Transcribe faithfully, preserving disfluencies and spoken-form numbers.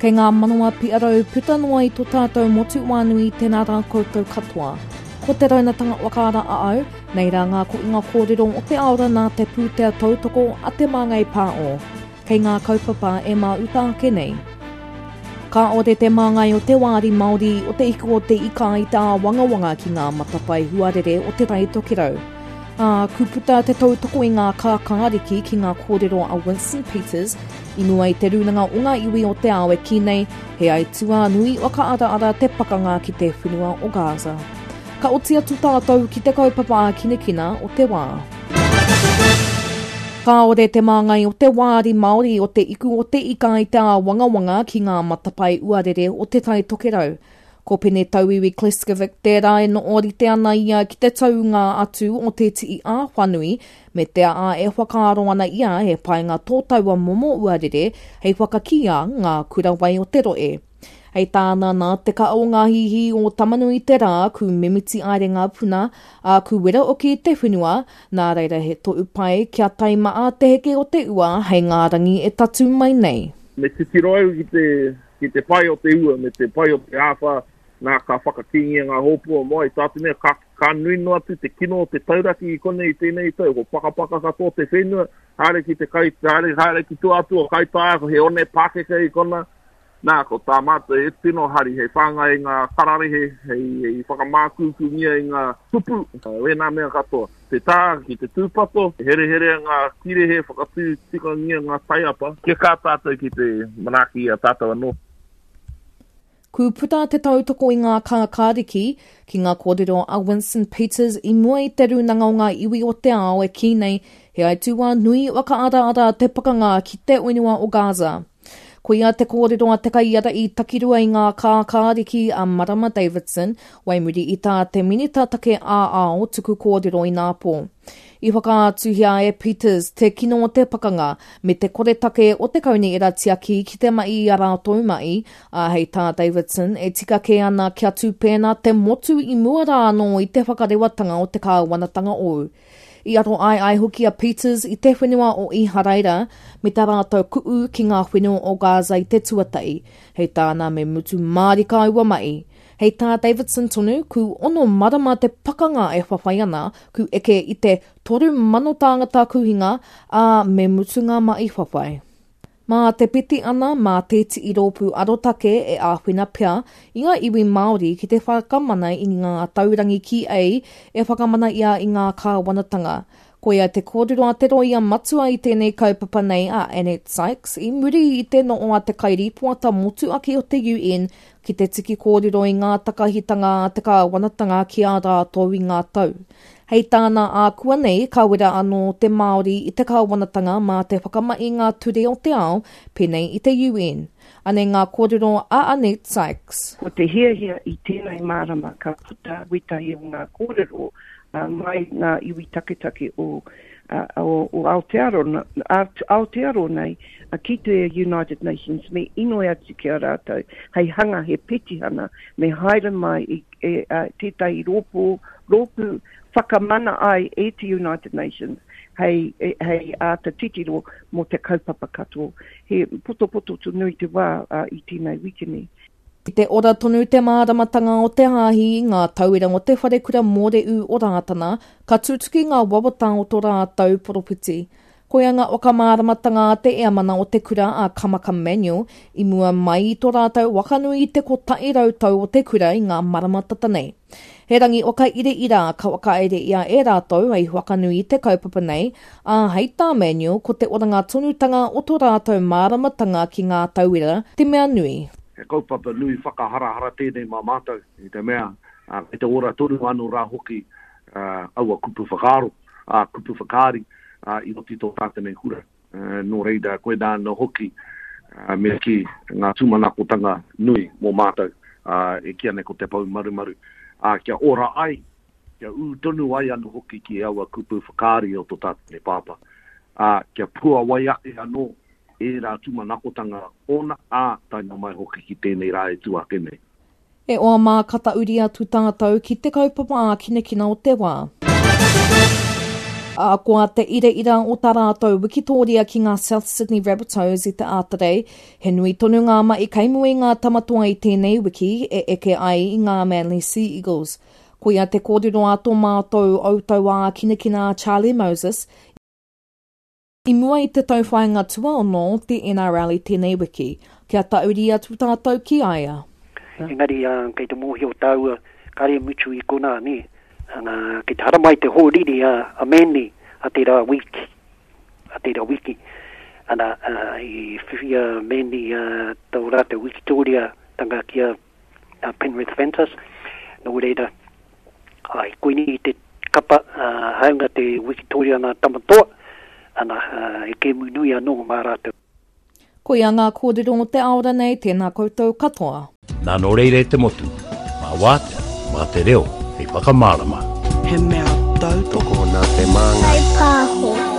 Kei ngā manawa piarau puta noa i tō tātou motu wānui tēnā rā koutou katoa. Ko te raunatanga whakaara a au, nei rā ngā koinga kōrero o te aora nā te pūtea tautoko a Te Māngai Pāo. Kei ngā kaupapa e māuta ake nei. Ka ore te māngai o te wāri Māori o te iku o te ika i te āwangawanga ki ngā matapae huarere o te Tai Tokerau. Ā, kuputa te tautoko i ngā kākāriki ki ngā kōrero a Winston Peters i mua i te rūnanga o ngā iwi o te ao e kī nei, he aituā nui whakaaraara te pakanga ki te whenua o Gaza. Ka oti atu tātou ki te kaupapa ākinakina o te wā. Kāore te māngai o te wāri Māori o te iku o te ika i te āwangawanga ki ngā matapae uarere o te Tai Tokerau. Ko Pene Tauiwi Kleskovic tērā e noorite ana ia ki te taunga atu o te tii āwhanui me te ā e whakaaro ana ia e painga tō taua momo uarere hei whakakia ngā kura wai o te roe. Hei tāna nā te ka o ngā hihi o Tamanui te rā ku mimiti aere ngā puna, a ku wera oki te whenua, nā reira he to'u pai kia taima a te heke o te ua hei ngā rangi e tatu mai nei. Me titiro au ki te, ki te pai o te ua, me te pai o te āwhā, nā ka whakakīngia ngā hōpua mai, tā te mea ka, ka nui noa atu te kino o te tauraki i konei i tēnei tau, ko pakapaka katoa te whenua, haere ki te kai, haere, haere ki tua atu o Kaitaia, ko he one pākeke i kona, nā, ko tā mātou e tino hari, hei whāngai i ngā kararehe, hei, hei whakamākūkūngia i ngā kupu, wēnā mea katoa. Te tā ki te tūpato, hereherea ngā kirehe, whakatū tikangia ngā taiapa, kia kā tātou ki te manaaki i a tātou anō. Ku puta te tautoko i ngā kākāriki ki ngā kōrero a Winston Peters i mua i te rūnanga o ngā iwi o te ao e kī nei he aituā nui whakaaraara te pakanga ki te whenua o Gaza. Koia te kōrero a te kaiara i takirua i ngā kākāriki a Marama Davidson, waimuri i tā te minita take ā-ao tuku kōrero i nāpō. I whakaatuhia e Peters te kino o te pakanga me te koretake o te kauni era tiaki ki te mai i a rātou mai, a hei tā Davidson e tika kē ana kia tūpēnā te motu i mua rā anō i te whakarewatanga o te kāwanatanga ou. I aro ai ai hoki a Peters i te whenua o Iharaira me tā rātou ku'u ki ngā whenua o Gaza i te tuatai. Hei tāna me mutu mārika aua mai. Hei tā Davidson tonu, ku ono marama te pakanga e whawhai ana, ku eke i te toru mano tāngata kuhinga, a me mutu ngā mai whawhai. Mā te piti ana, mā te tii rōpū arotake e āwhina pea i ngā iwi Māori ki te whakamana i ngā taurangi ki ei e whakamana ia i ngā kāwanatanga. Koia te kōrero a te roia matua i tēnei kaupapa nei a Annette Sykes i muri i te noo a te kairipoata motu ake o te U N ki te tiki kōrero i ngā takahitanga a te kāwanatanga ki a rātou i ngā tau. Hei tāna ākua nei, ka wera anō te Māori i te kāwanatanga mā te whakamai ngā ture o te ao, pēnei i te U N. Ane ngā kōrero a Annette Sykes. Ko te hiahia i tēnei mārama ka puta wetahi o ngā kōrero uh, mai ngā iwi taketake o, uh, o, o Aotearoa, Aotearoa nei uh, ki te United Nations me inoi atu ki a rātou hei hanga he petihana me haere mai i, e, uh, tētahi rōpū, rōpū whakamana ai e te United Nations hei, hei āta titiro mō te kaupapa katoa. He potopoto tu nui te wā uh, i tēnei wikene. I te ora tonu te māramatanga o te hāhi, ngā tauira o te wharekura Mōreu o Rātana, ka tutuki ngā wawata o tō rātou poropiti. Koia ngā whakamāramatanga a te eamana o te kura a Kamaka Manuel i mua mai i tō rātou wakanui i te kotahi rau tau o te kura i ngā marama tata nei. He rangi waka ire ira ka wakaere ia e rātou hei wakanui i te kaupapa nei, ā hei tā Manuel ko te oranga tonutanga o tō rātou māramatanga ki ngā tauira te mea nui. He kaupapa nui whakaharahara tēnei mā mātou, i te mea, uh, kei te ora tonu anō rā hoki uh, aua kupu whakaaro, uh, kupu whakaari uh, i roti tō tātou nei kura. Uh, nō reira, koinā anō hoki uh, me ki ngā tūmanakotanga nui mō mātou, uh, e kīa nei ko te poumarumaru, uh, kia ora ai, kia ū tonu ai anō hoki ki aua kupu whakaari o tō tātou nei pāpā. Uh, kia puawai ake anō e rā tūmanakotanga ōna, ā, tae mai hoki ki tēnei rā e tū ake nei. E oa mā kata uri atu tātou ki te kaupapa ākinakina o te wā. Ahakoa te iraira o tā rātou wikitōria ki ngā South Sydney Rabbitohs i te ātarei, he nui tonu ngā mahi kei mua i ngā tamatoa i tēnei wiki e eke ai i ngā Manly Sea Eagles. Koia te kōrero a tō mātou autauā kinakina a Charlie Moses i mua i te tauwhāinga tuaono o te N R L i tēnei wiki, kia tauri atu tātou ki a ia. Engari, kei te mōhio tāua, kāre mutu i konā, nē. Ana, kei te haramai te hōriri a, a Manly a tērā wiki. A tērā wiki. Ana, uh, i whiwhi a Manly uh, tō rātou wikitoria tanga ki a, a Penrith Panthers. Nō reira, ai, koini te kapa, uh, haunga te wikitoria nā Tamatoa, ana, uh, e kēmu nui anō mā rātou. Koia ngā kōrero o te aora nei, tēnā koutou katoa. Nā nō reira e te motu, mā wātea, mā te reo, hei whakamārama. He mea tautoko nā te māngai. Kai pāho.